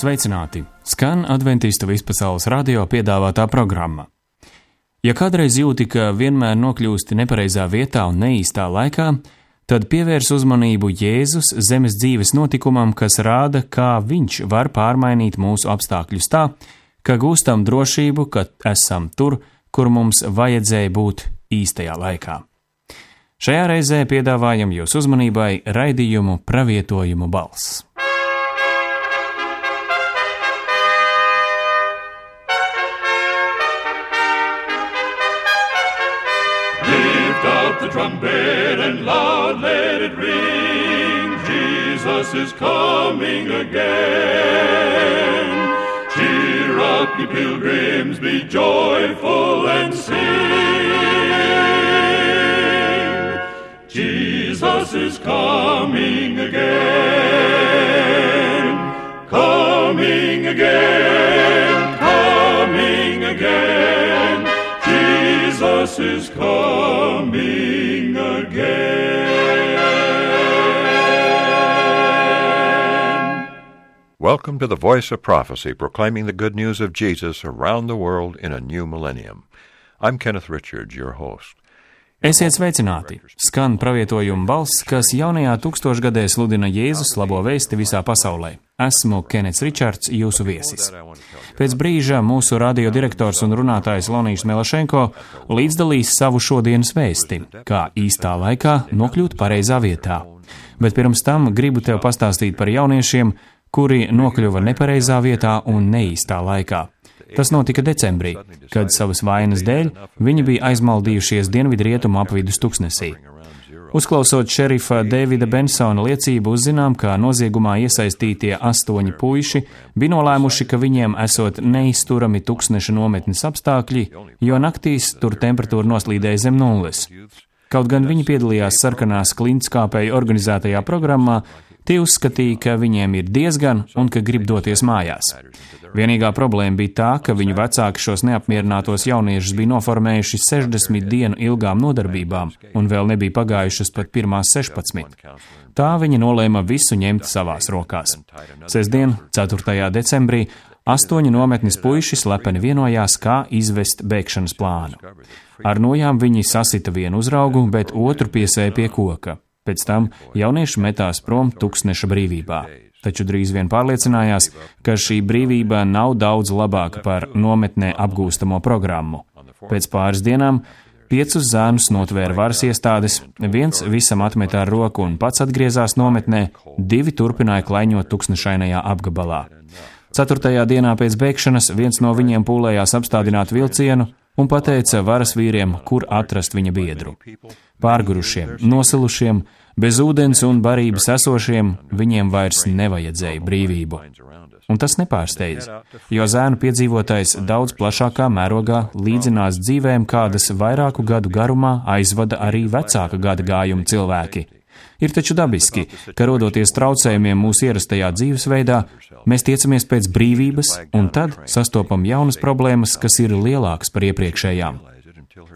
Sveicināti! Skan Adventistu vispasaules radio piedāvātā programma. Ja kādreiz jūti, ka vienmēr nokļūsti nepareizā vietā un neīstā laikā, tad pievērs uzmanību Jēzus zemes dzīves notikumam, kas rāda, kā viņš var pārmainīt mūsu apstākļus tā, ka gūstam drošību, ka esam tur, kur mums vajadzēja būt īstajā laikā. Šajā reizē piedāvājam jūs uzmanībai raidījumu Pravietojumu balss. Lift up the trumpet and loud let it ring. Jesus is coming again. Cheer up, ye pilgrims, be joyful and sing. Jesus is coming again. Coming again, coming again. Jesus is coming again. Welcome to the Voice of Prophecy, proclaiming the good news of Jesus around the world in a new millennium. I'm Kenneth Richards, your host. Esiet sveicināti! Skan pravietojuma balss, kas jaunajā tūkstošgadē sludina Jēzus labo vēsti visā pasaulē. Esmu Kenets Ričards, jūsu viesis. Pēc brīža mūsu radio direktors un runātājs Lonijs Melašenko līdzdalīs savu šodienas vēsti, kā īstā laikā nokļūt pareizā vietā. Bet pirms tam gribu tev pastāstīt par jauniešiem, kuri nokļuva nepareizā vietā un neīstā laikā. Tas notika decembrī, kad savas vainas dēļ viņi bija aizmaldījušies dienvidrietumu apvidus tuksnesī. Uzklausot šerifa Davida Bensona liecību, uzzinām, ka noziegumā iesaistītie 8 puiši bija nolēmuši, ka viņiem esot neizturami tuksneša nometnes apstākļi, jo naktīs tur temperatūra noslīdēja zem nulles. Kaut gan viņi piedalījās sarkanās klintskāpēju organizētajā programmā, tie uzskatīja, ka viņiem ir diezgan un ka grib doties mājās. Vienīgā problēma bija tā, ka viņu vecāki šos neapmierinātos jauniešus bija noformējuši 60 dienu ilgām nodarbībām un vēl nebija pagājušas pat pirmās 16. Tā viņi nolēma visu ņemt savās rokās. Sestdien, 4. decembrī, 8 nometnes puiši slepeni vienojās, kā izvest bēgšanas plānu. Ar nojām viņi sasita vienu uzraugu, bet otru piesēja pie koka. Pēc tam jaunieši metās prom tuksneša brīvībā. Taču drīz vien pārliecinājās, ka šī brīvība nav daudz labāka par nometnē apgūstamo programmu. Pēc pāris dienām 5 zēnus notvēra varas iestādes, 1 visam atmetā ar roku un pats atgriezās nometnē, 2 turpināja klaiņot tuksnešainajā apgabalā. 4. dienā pēc bēgšanas viens no viņiem pūlējās apstādināt vilcienu un pateica varas vīriem, kur atrast viņa biedru. Pārgurušiem, nosilušiem, bez ūdens un barības esošiem, viņiem vairs nevajadzēja brīvību. Un tas nepārsteidz, jo zēnu piedzīvotais daudz plašākā mērogā līdzinās dzīvēm, kādas vairāku gadu garumā aizvada arī vecāka gada gājuma cilvēki. Ir taču dabiski, ka rodoties traucējumiem mūsu ierastajā dzīvesveidā, mēs tiecamies pēc brīvības un tad sastopam jaunas problēmas, kas ir lielākas par iepriekšējām.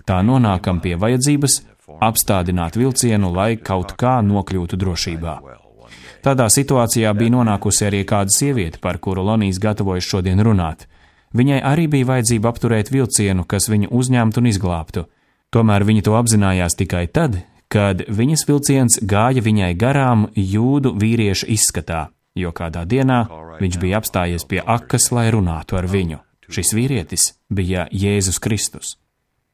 Tā nonākam pie vajadzības apstādināt vilcienu, lai kaut kā nokļūtu drošībā. Tādā situācijā bija nonākusi arī kāda sieviete, par kuru Lonijs gatavojas šodien runāt. Viņai arī bija vajadzība apturēt vilcienu, kas viņu uzņemtu un izglābtu. Tomēr viņa to apzinājās tikai tad, kad viņas vilciens gāja viņai garām jūdu vīrieša izskatā, jo kādā dienā viņš bija apstājies pie akas, lai runātu ar viņu. Šis vīrietis bija Jēzus Kristus.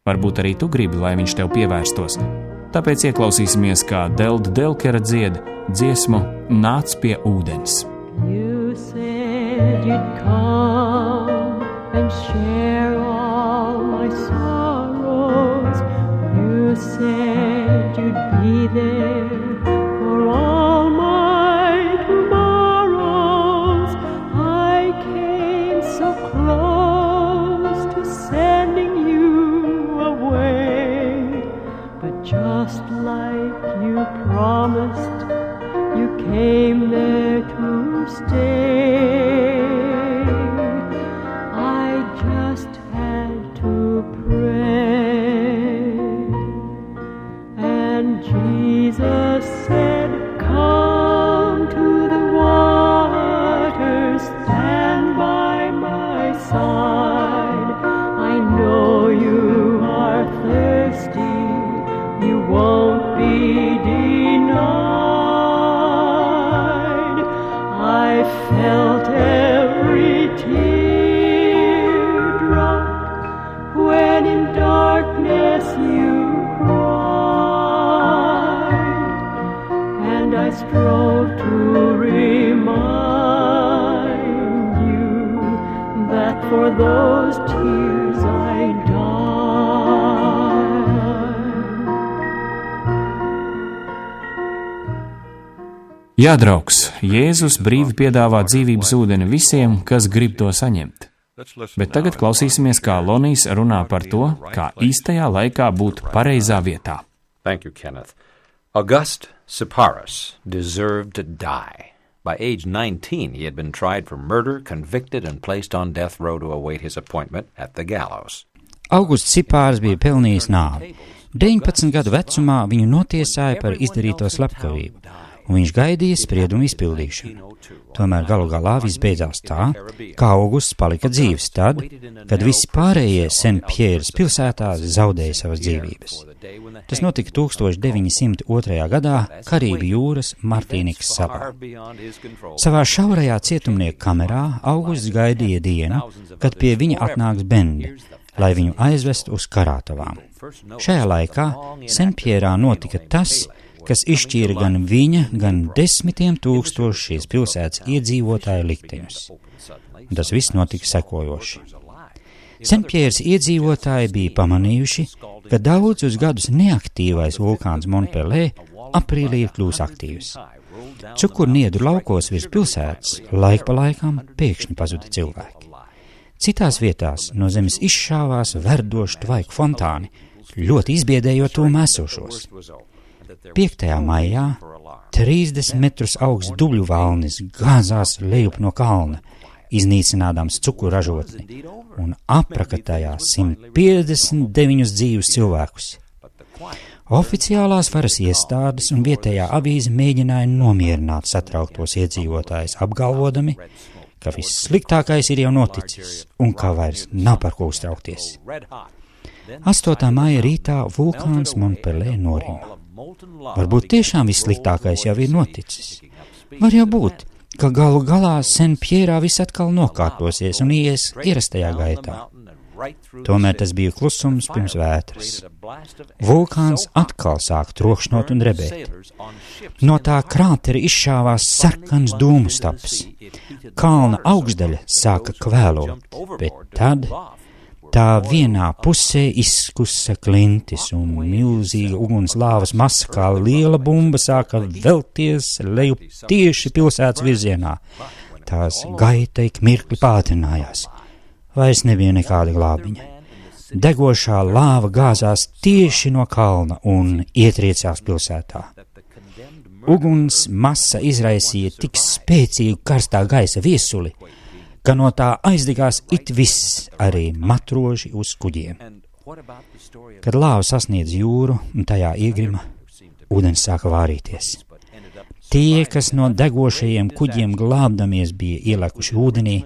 Varbūt arī tu gribi, lai viņš tev pievērstos. Tāpēc ieklausīsimies, kā Delda Delkera dzied dziesmu Nāc pie ūdens. You said you'd come and share all my sorrows. You said you'd be there for all my tomorrows. I came so close to sending you away, but just like you promised, you came there to stay. I just had to pray, and Jesus said, come to the waters that strove to remind you that for those tears I died. Jā, draugs, Jēzus brīvi piedāvā dzīvības ūdeni visiem, kas grib to saņemt. Bet tagad klausīsimies, kā Lonijs runā par to, kā īstajā laikā būt pareizā vietā. Thank you, Kenneth. August Seppărus deserved to die. By age 19, he had been tried for murder, convicted, and placed on death row to await his appointment at the gallows. Augusts Seppărus bija pelnījis nāvi. 19 gadu vecumā viņu notiesāja par izdarīto slepkavību, un viņš gaidīja spriedumu izpildīšanu. Tomēr galu galā viss beidzās tā, ka Augusts palika dzīvs tad, kad visi pārējie Senpjēras pilsētā zaudēja savas dzīvības. Tas notika 1902. gadā Karību jūras Martīnikas salā. Savā šaurajā cietumnieka kamerā Augusts gaidīja dienu, kad pie viņa atnāks bendi, lai viņu aizvestu uz karātavām. Šajā laikā Senpjērā notika tas, kas izšķīra gan viņa, gan 10 000 šīs pilsētas iedzīvotāju likteņus. Tas viss notika sekojoši. Senpjēras iedzīvotāji bija pamanījuši, ka daudzus gadus neaktīvais vulkāns Montpelē aprīlī ir kļūs aktīvs. Cukurniedru laukos virs pilsētas laik pa laikam pēkšņi pazuda cilvēki. Citās vietās no zemes izšāvās verdoši tvaiku fontāni, ļoti izbiedējot to esošos. 5. maijā 30 metrus augsts dubļu valnis gāzās lejup no kalna, iznīcinādams cukuražotni un aprakatājā 159 dzīvus cilvēkus. Oficiālās varas iestādes un vietējā avīze mēģināja nomierināt satrauktos iedzīvotājus, apgalvodami, ka viss sliktākais ir jau noticis un ka vairs nav par ko uztraukties. 8. maija rītā vulkāns Montpelē norima. Varbūt tiešām vissliktākais jau ir noticis. Var jau būt, ka galu galā Senpjērā viss atkal nokārtosies un ies ierastajā gaitā. Tomēr tas bija klusums pirms vētras. Vulkāns atkal sāk trokšnot un drebēt. No tā krātera izšāvās sarkans dūmu staps. Kalna augšdaļa sāka kvēlot, bet tad tā vienā pusē izkusa klintis un milzīga uguns lāvas masa kā liela bumba sāka velties lejup tieši pilsētas virzienā. Tās gaita ik mirkli pātrinājās. Vairs nebija nekāda glābiņa. Degošā lāva gāzās tieši no kalna un ietriecās pilsētā. Uguns masa izraisīja tik spēcīgu karstā gaisa viesuli, ka no tā aizdegās it viss, arī matroži uz kuģiem. Kad lāva sasniedz jūru un tajā iegrima, ūdens sāka vārīties. Tie, kas no degošajiem kuģiem glābdamies bija ielēkuši ūdenī,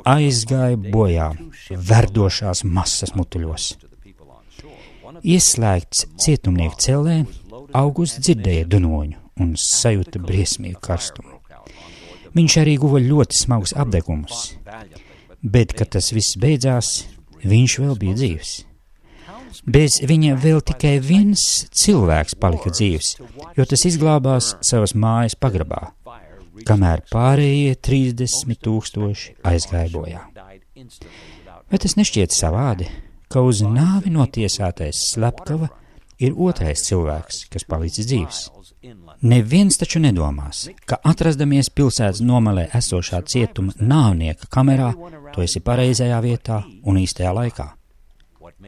aizgāja bojā verdošās masas mutuļos. Ieslēgts cietumnieku cellē, Augusts dzirdēja dunoņu un sajūta briesmīgu karstumu. Viņš arī guva ļoti smagus apdegumus, bet, kad tas viss beidzās, viņš vēl bija dzīvs. Bez viņa vēl tikai viens cilvēks palika dzīvs, jo tas izglābās savas mājas pagrabā, kamēr pārējie 30 000 aizgāja bojā. Vai tas nešķiet savādi, ka uz nāvi notiesātais slepkava ir otrais cilvēks, kas palicis dzīvs? Neviens taču nedomās, ka atrastamies pilsētas nomalē esošā cietuma nāvnieka kamerā, tu esi pareizajā vietā un īstajā laikā.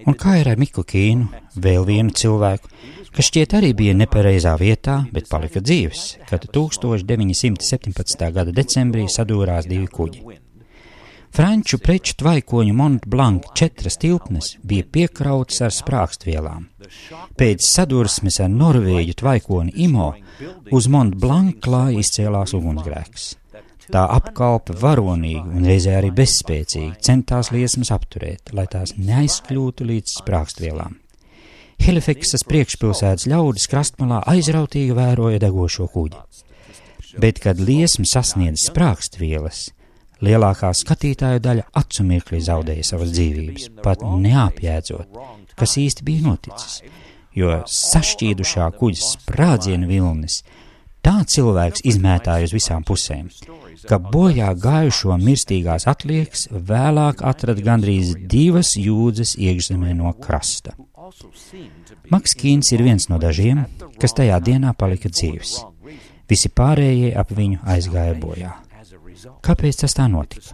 Un kā ir ar Miklu Kīnu, vēl vienu cilvēku, kas šķiet arī bija nepareizā vietā, bet palika dzīvs, kad 1917. gada decembrī sadūrās 2 kuģi. Franču preču tvaikoņu Mont Blanc 4 tilpnes bija piekrautas ar sprākstvielām. Pēc sadursmes ar norvēģu tvaikoni Imo uz Mont Blanc klāja izcēlās ugunsgrēks. Tā apkalpe varonīgi un reizē arī bezspēcīgi centās liesmas apturēt, lai tās neaizkļūtu līdz sprākstvielām. Helifeksas priekšpilsētas ļaudis krastmalā aizrautīgi vēroja degošo kuģi. Bet, kad liesma sasniedz sprākstvielas, lielākā skatītāju daļa acu mirklī zaudēja savas dzīvības, pat neapjēdzot, kas īsti bija noticis, jo sašķīdušā kuģa sprādziena vilnis Tā cilvēks izmētāja uz visām pusēm, ka bojā gājušo mirstīgās atliekas vēlāk atrada gandrīz 2 jūdzes iekšzemē no krasta. Maks Kīns ir viens no dažiem, kas tajā dienā palika dzīvs. Visi pārējie ap viņu aizgāja bojā. Kāpēc tas tā notika?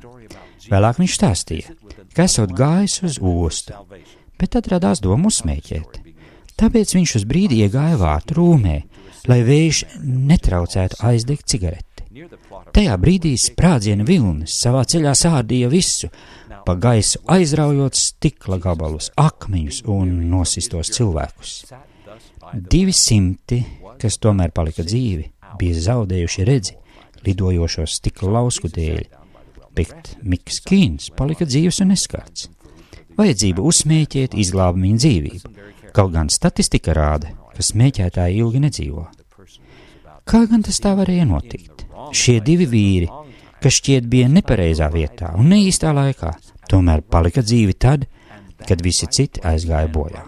Vēlāk viņš stāstīja, ka esot gājis uz ostu, bet tad radās doma uzsmēķēt. Tāpēc viņš uz brīdi iegāja vārtu rūmē, lai vējš netraucētu aizdegt cigareti. Tajā brīdī sprādziena vilnis savā ceļā sārdīja visu, pa gaisu aizraujot stikla gabalus, akmeņus un nosistos cilvēkus. 200, kas tomēr palika dzīvi, bija zaudējuši redzi lidojošos stikla lausku dēļ, bet Miks Kīns palika dzīvs un neskarts. Vajadzība uzsmēķēt izglāba viņa dzīvību, kaut gan statistika rāda, ka smēķētāji ilgi nedzīvo. Kā gan tas tā varēja notikt? Šie 2 vīri, kas šķiet bija nepareizā vietā un neīstā laikā, tomēr palika dzīvi tad, kad visi citi aizgāja bojā.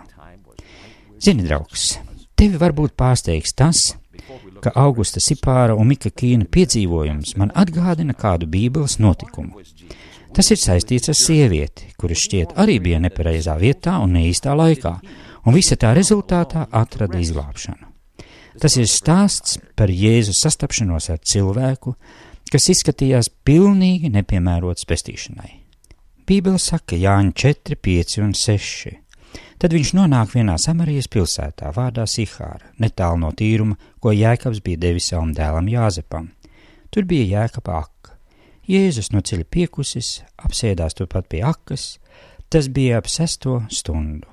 Zini, draugs, tevi varbūt pārsteigs tas, ka Augusta Sipāra un Mika Kīna piedzīvojums man atgādina kādu Bībeles notikumu. Tas ir saistīts ar sievieti, kuras šķiet arī bija nepareizā vietā un neīstā laikā, un visa tā rezultātā atrada izglābšanu. Tas ir stāsts par Jēzus sastapšanos ar cilvēku, kas izskatījās pilnīgi nepiemērots pestīšanai. Bībele saka Jāņa 4, 5 un 6. Tad viņš nonāk vienā Samarijas pilsētā vārdā Sihāra, netālu no tīruma, ko Jēkabs bija devis savam dēlam Jāzepam. Tur bija Jēkaba aka. Jēzus no ceļa piekusis, apsēdās turpat pie akas, tas bija ap 6 stundu.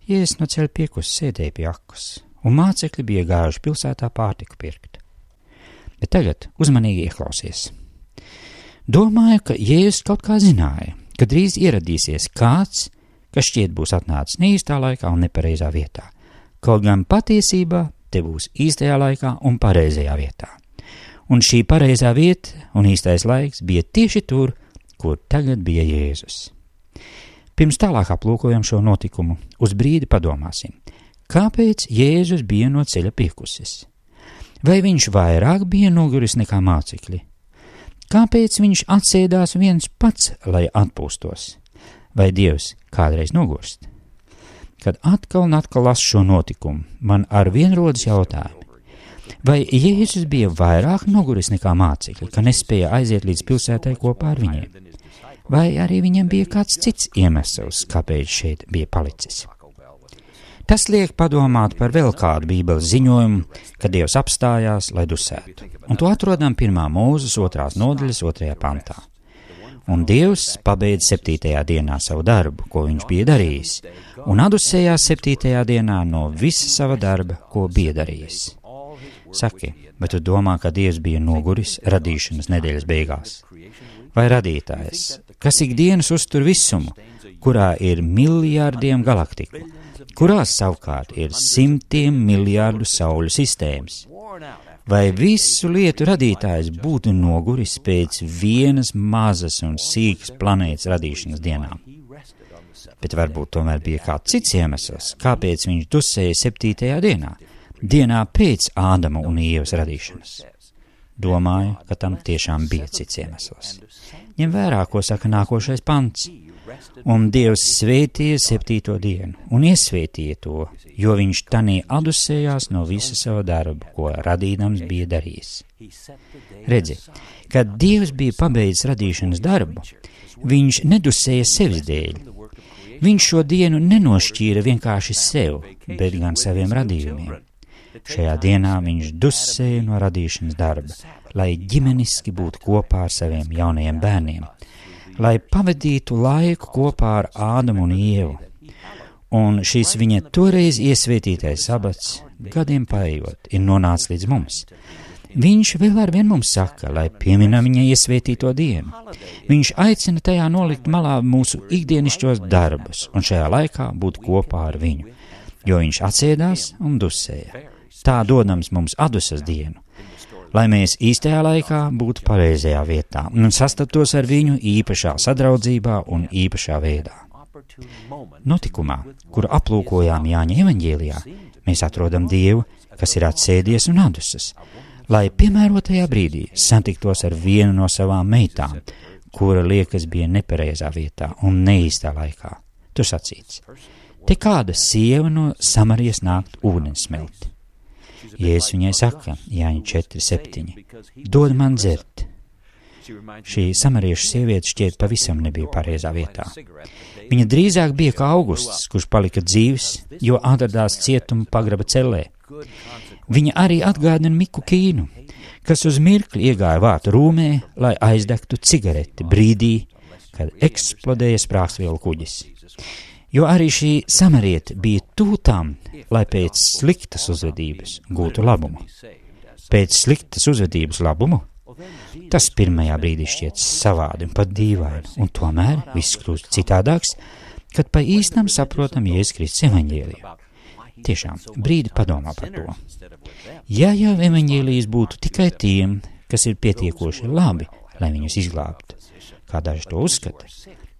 Jēzus no ceļa piekusis sēdēja pie akas, un mācekļi bija gājuši pilsētā pārtiku pirkt. Bet tagad uzmanīgi ieklausies. Domāju, ka Jēzus kaut kā zināja, ka drīz ieradīsies kāds, kas šķiet būs atnācis neīstā laikā un nepareizā vietā, kaut gan patiesībā te būs īstajā laikā un pareizajā vietā. Un šī pareizā vieta un īstais laiks bija tieši tur, kur tagad bija Jēzus. Pirms tālāk aplūkojam šo notikumu, uz brīdi padomāsim, kāpēc Jēzus bija no ceļa piekusis? Vai viņš vairāk bija noguris nekā mācekļi? Kāpēc viņš atsēdās viens pats, lai atpūstos? Vai Dievs kādreiz nogurst? Kad atkal un atkal lasu šo notikumu, man arvien rodas jautājumi. Vai Jēzus bija vairāk noguris nekā mācekļi, ka nespēja aiziet līdz pilsētai kopā ar viņiem? Vai arī viņam bija kāds cits iemesls, kāpēc šeit bija palicis? Tas liek padomāt par vēl kādu Bībeles ziņojumu, kad Dievs apstājās, lai dusētu. Un to atrodam 1. Mūzes 2. nodaļas 2. pantā. Un Dievs pabeidz 7. dienā savu darbu, ko viņš bija darījis, un atdusējās 7. dienā no visa sava darba, ko bija darījis. Saki, bet tu domā, ka Dievs bija noguris radīšanas nedēļas beigās? Vai radītājs, kas ikdienas uztur visumu, kurā ir miljārdiem galaktiku, kurās savukārt ir 100 miljārdu sauļu sistēmas? Vai visu lietu radītājs būtu noguris pēc vienas mazas un sīkas planētas radīšanas dienām? Bet varbūt tomēr bija kāds cits iemesls, kāpēc viņš dusēja 7. dienā pēc Ādama un Ievas radīšanas. Domāju, ka tam tiešām bija cits iemesls. Ņem vērā, ko saka nākošais pants. Un Dievs svētīja 7. dienu un iesvētīja to, jo viņš tanī atdusējās no visa sava darba, ko radīdams bija darījis. Redzi, kad Dievs bija pabeidzis radīšanas darbu, viņš nedusēja sevis dēļ. Viņš šo dienu nenošķīra vienkārši sev, bet gan saviem radījumiem. Šajā dienā viņš dusēja no radīšanas darba, lai ģimeniski būtu kopā ar saviem jaunajiem bērniem, lai pavadītu laiku kopā ar Ādamu un Ievu. Un šis viņa toreiz iesvētītais sabats, gadiem paejot, ir nonācis līdz mums. Viņš vēl arvien mums saka, lai pieminam viņa iesvētīto dienu. Viņš aicina tajā nolikt malā mūsu ikdienišķos darbus un šajā laikā būt kopā ar viņu, jo viņš atsēdās un dusēja. Tā dodams mums atdusas dienu, lai mēs īstajā laikā būtu pareizajā vietā un sastaptos ar viņu īpašā sadraudzībā un īpašā veidā. Notikumā, kuru aplūkojām Jāņa evaņģēlijā, mēs atrodam Dievu, kas ir atsēdies un atdusas, lai piemērotajā brīdī satiktos ar vienu no savām meitām, kura liekas bija nepareizā vietā un neīstā laikā. Tur sacīts: te kāda sieva no Samarijas nākt ūdens smelt. Jēzus viņai saka, Jāņa 4:7, dod man dzert. Šī samariešu sieviete šķiet pavisam nebija pareizā vietā. Viņa drīzāk bija kā Augusts, kurš palika dzīvs, jo atradās cietuma pagraba cellē. Viņa arī atgādina Miku Kīnu, kas uz mirkli iegāja vārtu rūmē, lai aizdegtu cigareti brīdī, kad eksplodēja sprāgstvielu kuģis. Jo arī šī samariete bija tūtām, lai pēc sliktas uzvedības gūtu labumu. Pēc sliktas uzvedības labumu? Tas pirmajā brīdī šķiet savādi un pat dīvaini, un tomēr viss kļūst citādāks, kad pa īstam saprotam Jēzus Kristus evaņģēliju. Tiešām, brīdi padomā par to. Ja jau evaņģēlijas būtu tikai tiem, kas ir pietiekoši labi, lai viņus izglābtu, kā daži to uzskata,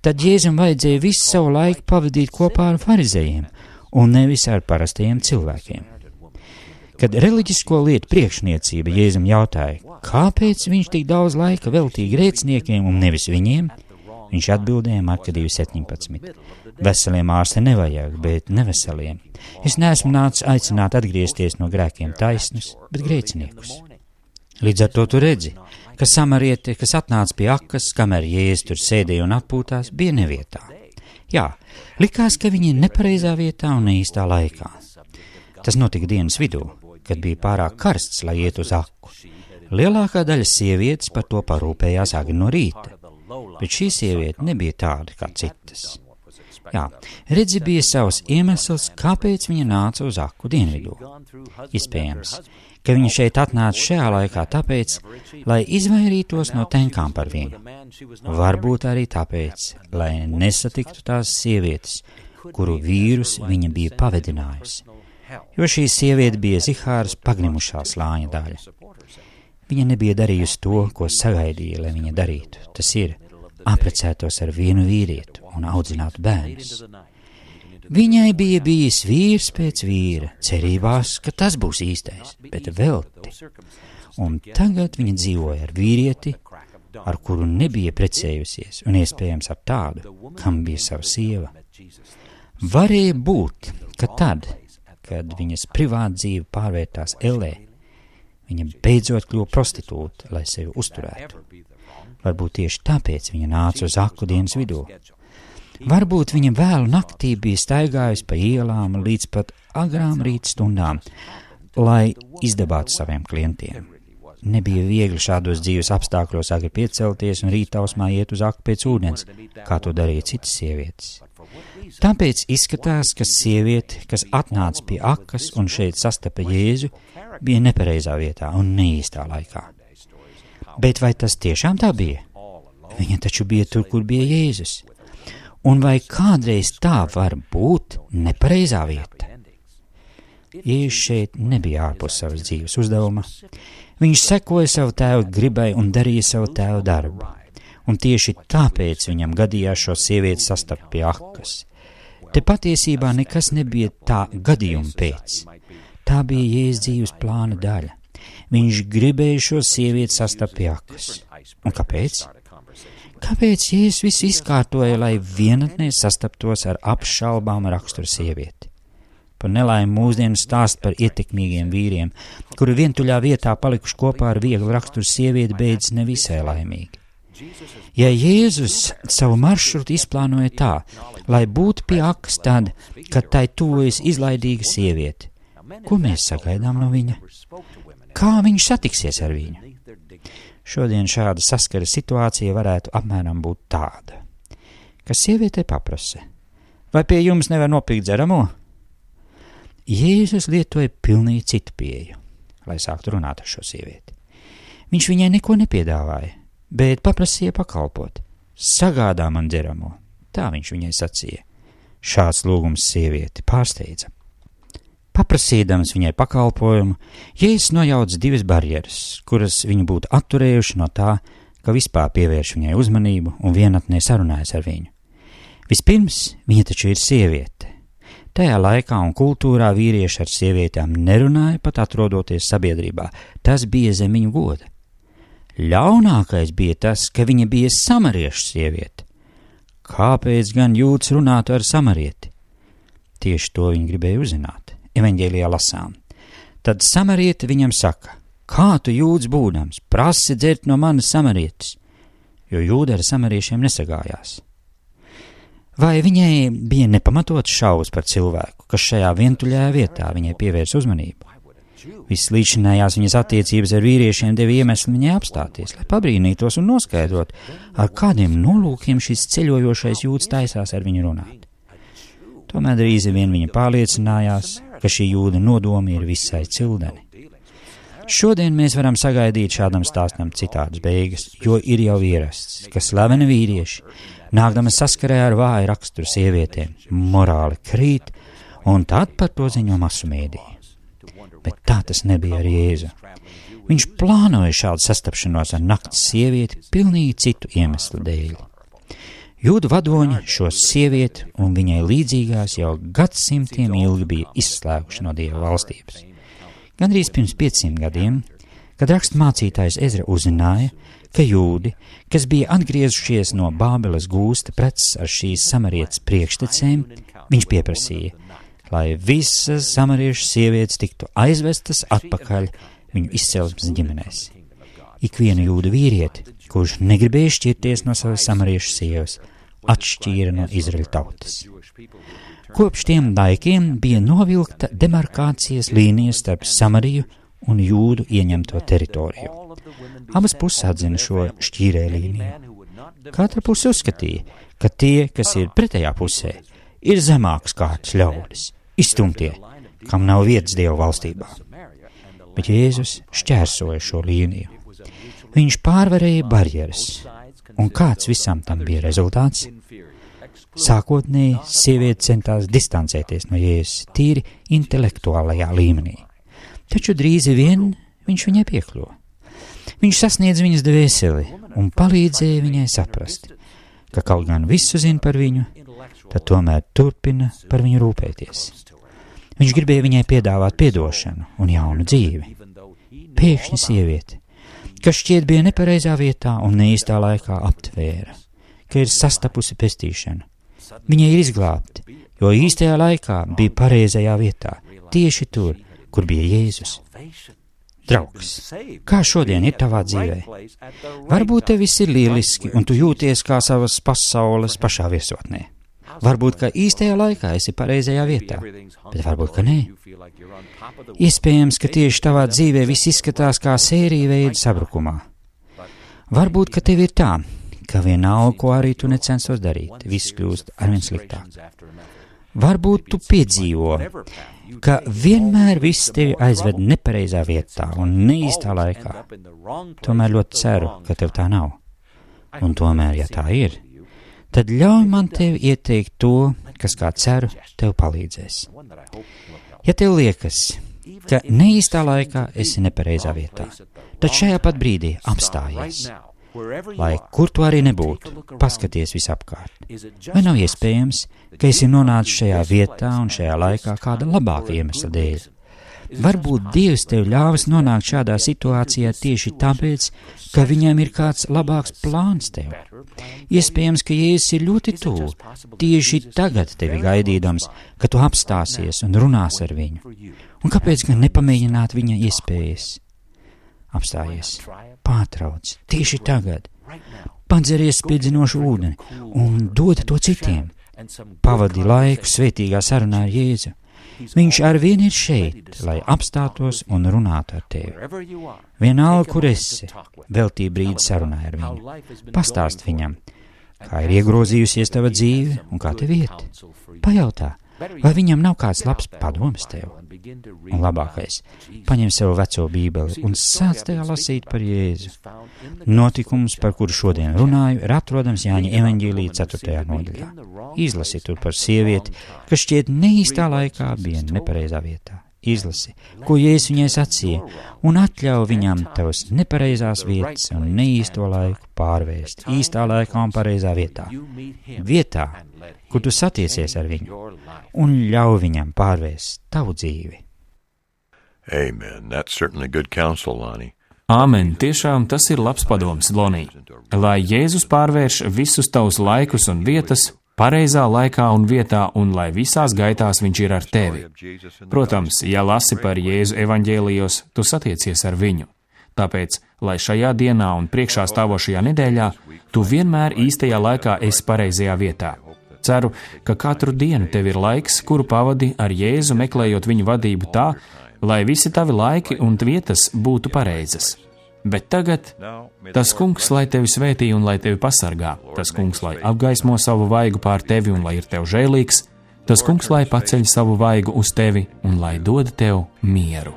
tad Jēzum vajadzēja visu savu laiku pavadīt kopā ar farizējiem un nevis ar parastajiem cilvēkiem. Kad reliģisko lietu priekšniecība Jēzum jautāja, kāpēc viņš tik daudz laika veltīja grēciniekiem un nevis viņiem, viņš atbildēja Marka 2:17. Veseliem ārste nevajag, bet neveseliem. Es neesmu nācis aicināt atgriezties no grēkiem taisnus, bet grēciniekus. Līdz ar to tu redzi, ka samariete, kas atnāca pie akas, kamēr Jēzus tur sēdēja un atpūtās, bija nevietā. Jā, likās, ka viņa ir nepareizā vietā un neīstā laikā. Tas notika dienas vidū, kad bija pārāk karsts, lai iet uz aku. Lielākā daļa sievietes par to parūpējās agri no rīta, bet šī sieviete nebija tāda kā citas. Jā, redzi, bija savs iemesls, kāpēc viņa nāca uz aku dienvidū. Iespējams, ka viņa šeit atnāca šajā laikā tāpēc, lai izvairītos no tenkām par viņu. Varbūt arī tāpēc, lai nesatiktu tās sievietes, kuru vīrus viņa bija pavedinājusi. Jo šī sieviete bija Zihāras pagnimušā slāņa daļa. Viņa nebija darījusi to, ko sagaidīja, lai viņa darītu. Tas ir, apprecētos ar vienu vīrietu un audzinātu bērnus. Viņai bija bijis vīrs pēc vīra, cerībās, ka tas būs īstais, bet velti. Un tagad viņa dzīvoja ar vīrieti, ar kuru nebija precējusies, un iespējams ap tādu, kam bija sava sieva. Varēja būt, ka tad, kad viņas privāta dzīve pārvērtās ellē, viņa beidzot kļuva prostitūta, lai sevi uzturētu. Varbūt tieši tāpēc viņa nāca uz aku dienas vidū. Varbūt viņa vēlu naktī bija staigājusi pa ielām līdz pat agrām rīta stundām, lai izdabātu saviem klientiem. Nebija viegli šādos dzīves apstākļos agri piecelties un rītausmā iet uz aku pēc ūdens, kā to darīja citas sievietes. Tāpēc izskatās, ka sieviete, kas atnāca pie akas un šeit sastapa Jēzu, bija nepareizā vietā un neīstā laikā. Bet vai tas tiešām tā bija? Viņa taču bija tur, kur bija Jēzus. Un vai kādreiz tā var būt nepareizā vieta? Jēzus šeit nebija ārpus savas dzīves uzdevuma. Viņš sekoja savu tēvu gribai un darīja savu tēvu darbu. Un tieši tāpēc viņam gadījās šo sievieti sastapt pie akas. Te patiesībā nekas nebija tā gadījuma pēc. Tā bija Jēzus dzīves plāna daļa. Viņš gribēja šo sievieti sastapt pie akas. Un kāpēc? Kāpēc Jēzus visu izkārtoja, lai vienatnē sastaptos ar apšaubām raksturu sievieti? Par nelaimi mūsdienu stāst par ietekmīgiem vīriem, kuri vientuļā vietā palikuši kopā ar vieglu raksturu sievieti, beidzas nevisai laimīgi. Ja Jēzus savu maršrutu izplānoja tā, lai būtu pie akas tad, kad tai tuvojas izlaidīga sieviete, ko mēs sagaidām no viņa? Kā viņš satiksies ar viņu? Šodien šāda saskara situācija varētu apmēram būt tāda, ka sieviete paprasa, vai pie jums nevar nopirkt dzeramo? Jēzus lietoja pilnīgi citu pieeju, lai sāktu runāt ar šo sievieti. Viņš viņai neko nepiedāvāja, bet paprasīja pakalpot. Sagādā man dzeramo, tā viņš viņai sacīja. Šāds lūgums sievieti pārsteidza. Paprasīdams viņai pakalpojumu, Jēzus nojauca divas barjeras, kuras viņu būtu atturējuši no tā, ka vispār pievērš viņai uzmanību un vienatnē sarunājas ar viņu. Vispirms, viņa taču ir sieviete. Tajā laikā un kultūrā vīrieši ar sievietēm nerunāja, pat atrodoties sabiedrībā. Tas bija zem viņu goda. Ļaunākais bija tas, ka viņa bija samariešu sieviete. Kāpēc gan jūds runātu ar samarieti? Tieši to viņi gribēja uzzināt. Evaņģēlijā lasām. Tad samariete viņam saka: kā tu jūds būdams, prasi dzert no manas samarietes, jo jūda ar samariešiem nesagājās. Vai viņai bija nepamatots šaubas par cilvēku, kas šajā vientuļajā vietā viņai pievērs uzmanību? Vislīdzinājās viņas attiecības ar vīriešiem deva iemeslu viņai apstāties, lai pabrīnītos un noskaidrot, ar kādiem nolūkiem šis ceļojošais jūds taisās ar viņu runāt. Tomēr drīz vien viņa pārliecinājās, ka šī jūda nodomi ir visai cildeni. Šodien mēs varam sagaidīt šādam stāstam citādas beigas, jo ir jau ierasts, ka slaveni vīrieši, nākdami saskarē ar vāju raksturu sievietēm, morāli krīt, un tad par to ziņo masu mēdīji. Bet tā tas nebija ar Jēzu. Viņš plānoja šādu sastapšanos ar nakts sievieti pilnīgi citu iemeslu dēļ. Jūdu vadoņi šo sievieti un viņai līdzīgās jau gadsimtiem ilgi bija izslēguši no Dieva valstības. Gandrīz pirms 500 gadiem, kad rakstmācītājs Ezra uzzināja, ka jūdi, kas bija atgriezušies no Bābeles gūsta preces ar šīs samarietes priekštecēm, viņš pieprasīja, lai visas samariešu sievietes tiktu aizvestas atpakaļ viņu izcelsmes ģimenēs. Ikvienu jūdu vīrieti, kurš negribēja šķirties no savas samariešu sievas, atšķīra no Izraļa tautas. Kopš tiem laikiem bija novilkta demarkācijas līnija starp Samariju un jūdu ieņemto teritoriju. Abas puses atzina šo šķīrē līniju. Katra puse uzskatīja, ka tie, kas ir pretējā pusē, ir zemākas kārtas ļaudis, izstumtie, kam nav vietas Dieva valstībā. Bet Jēzus šķērsoja šo līniju. Viņš pārvarēja barjeras, un kāds visam tam bija rezultāts? Sākotnēji sieviete centās distancēties no Jēzus tīri intelektuālajā līmenī, taču drīz vien viņš viņai piekļuva. Viņš sasniedz viņas dvēseli un palīdzēja viņai saprast, ka kaut gan visu zina par viņu, tad tomēr turpina par viņu rūpēties. Viņš gribēja viņai piedāvāt piedošanu un jaunu dzīvi. Pēkšņi sieviete, kas šķiet bija nepareizā vietā un neīstā laikā aptvēra, ka ir sastapusi pestīšanu. Viņa ir izglābta, jo īstajā laikā bija pareizajā vietā, tieši tur, kur bija Jēzus. Draugs, kā šodien ir tavā dzīvē? Varbūt tev viss ir lieliski un tu jūties kā savas pasaules pašā viesotnē. Varbūt, ka īstajā laikā esi pareizajā vietā, bet varbūt, ka nē. Iespējams, ka tieši tavā dzīvē viss izskatās kā sērija veida sabrukumā. Varbūt, ka tev ir tā, ka vienalga, ko arī tu necensos darīt, viss kļūst arvien sliktāk. Varbūt tu piedzīvo, ka vienmēr viss tevi aizved nepareizā vietā un neīstā laikā. Tomēr ļoti ceru, ka tev tā nav. Un tomēr, ja tā ir, tad ļauj man tev ieteikt to, kas, kā ceru, tev palīdzēs. Ja tev liekas, ka neīstā laikā esi nepareizā vietā, tad šajā pat brīdī apstājies. Lai kur tu arī nebūtu, paskaties visapkārt. Vai nav iespējams, ka esi nonācis šajā vietā un šajā laikā kāda labāka iemesla dēļ? Varbūt Dievs tev ļāvis nonākt šādā situācijā tieši tāpēc, ka viņam ir kāds labāks plāns tev. Iespējams, ka Jēzus ir ļoti tuvu, tieši tagad tevi gaidīdams, ka tu apstāsies un runās ar viņu. Un kāpēc gan nepamēģināt viņa iespējas? Apstājies, pārtrauc, tieši tagad, padzeries spīdzinošu ūdeni un dod to citiem. Pavadi laiku svētīgā sarunā ar Jēzu. Viņš arvien ir šeit, lai apstātos un runātu ar tevi. Vienalga, kur esi, veltī brīdi sarunā ar viņu. Pastāst viņam, kā ir iegrozījusies tava dzīve un kā tev iet. Pajautā, vai viņam nav kāds labs padoms tev? Un labākais, paņem sev veco bībeli un sāc tajā lasīt par Jēzu. Notikums, par kuru šodien runāju, ir atrodams Jāņa evaņģēlija 4. nodaļā. Izlasi tur par sievieti, kas šķiet neīstā laikā bija nepareizā vietā. izlasi, ko Jēzus viņai sacīja, un atļauj viņam tavas nepareizās vietas un neīsto laiku pārvērst īstā laikā un pareizā vietā. Vietā, kur tu satiecies ar viņu, un ļauj viņam pārvērst tavu dzīvi. Amen. That's certainly good counsel, Lonnie. Āmen, tiešām tas ir labs padoms, Lonī. Lai Jēzus pārvērš visus tavus laikus un vietas pareizā laikā un vietā, un lai visās gaitās viņš ir ar tevi. Protams, ja lasi par Jēzu evaņģēlijos, tu satiecies ar viņu. Tāpēc, lai šajā dienā un priekšā stāvošajā nedēļā, tu vienmēr īstajā laikā esi pareizajā vietā. Ceru, ka katru dienu tev ir laiks, kuru pavadi ar Jēzu, meklējot viņu vadību tā, lai visi tavi laiki un vietas būtu pareizas. Bet tagad tas kungs, lai tevi svētī un lai tevi pasargā, tas kungs, lai apgaismo savu vaigu pār tevi un lai ir tev žēlīgs, tas kungs, lai paceļ savu vaigu uz tevi un lai dod tev mieru.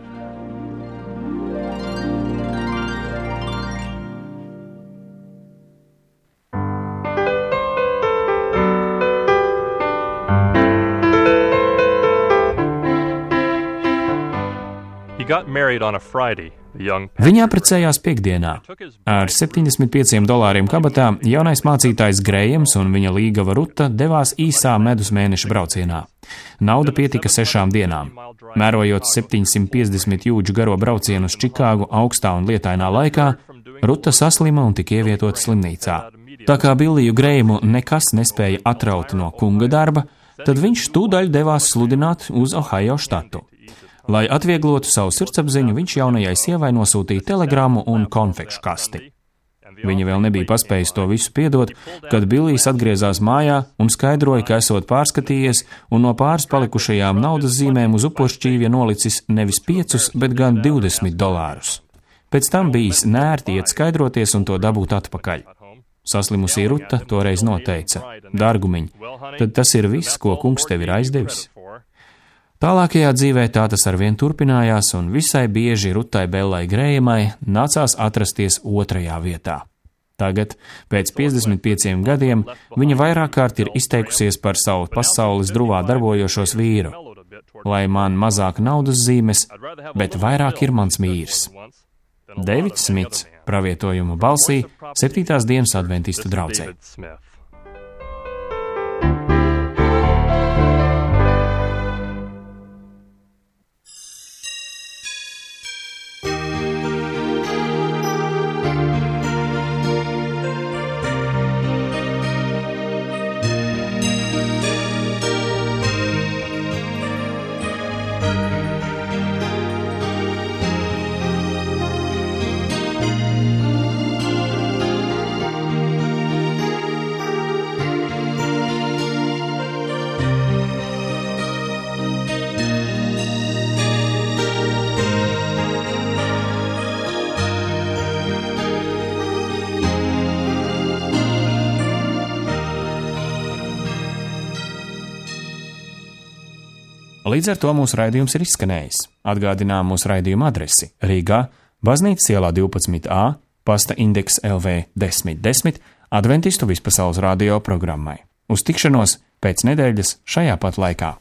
Viņi apprecējās piekdienā. Ar $75 kabatā jaunais mācītājs Grējams un viņa līgava Ruta devās īsā medus mēneša braucienā. Nauda pietika 6 dienām. Mērojot 750 jūdžu garo braucienu uz Čikāgu augstā un lietainā laikā, Ruta saslima un tika ievietota slimnīcā. Tā kā Billiju Grējamu nekas nespēja atraut no kunga darba, tad viņš tūdaļ devās sludināt uz Ohio štatu. Lai atvieglotu savu sirdsapziņu, viņš jaunajai sievai nosūtīja telegrammu un konfekšu kasti. Viņa vēl nebija paspējusi to visu piedot, kad Billijs atgriezās mājā un skaidroja, ka esot pārskatījies un no pāris palikušajām naudas zīmēm uz upuršķīvja nolicis nevis 5, bet gan $20. Pēc tam bijis nērti iet skaidroties un to dabūt atpakaļ. Saslimusī Ruta toreiz noteica: Dārgumiņ, tad tas ir viss, ko kungs tev ir aizdevis? Tālākajā dzīvē tā tas arvien turpinājās, un visai bieži Rutai Bellai Grējamai nācās atrasties 2. vietā. Tagad, pēc 55 gadiem, viņa vairāk kārt ir izteikusies par savu pasaules druvā darbojošos vīru. Lai man mazāk naudas zīmes, bet vairāk ir mans vīrs. Deivids Smits, pravietojuma balsī, 7. dienas adventistu draudzē. Līdz ar to mūsu raidījums ir izskanējis. Atgādinām mūsu raidījuma adresi: Rīgā, Baznīcas ielā 12A, pasta indeks LV 1010, Adventistu vispasaules radio programmai. Uz tikšanos pēc nedēļas šajā pat laikā.